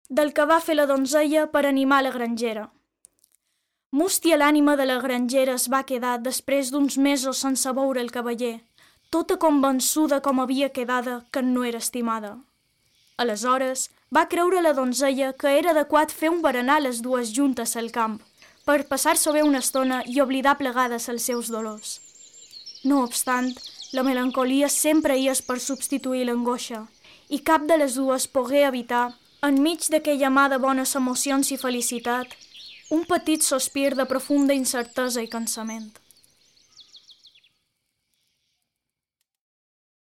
del que va fer la donzella per animar la grangera. Mústia l'ànima de la grangera es va quedar després d'uns mesos sense veure el cavaller, tota convençuda com havia quedada que no era estimada. Aleshores va creure la donzella que era adequat fer un berenar les dues juntes al camp, per passar-s'ho bé una estona i oblidar plegades els seus dolors. No obstant, la melancolia sempre hi és per substituir l'angoixa, i cap de les dues pogué evitar, enmig d'aquella mà de bones emocions i felicitat, un petit sospir de profunda incertesa i cansament.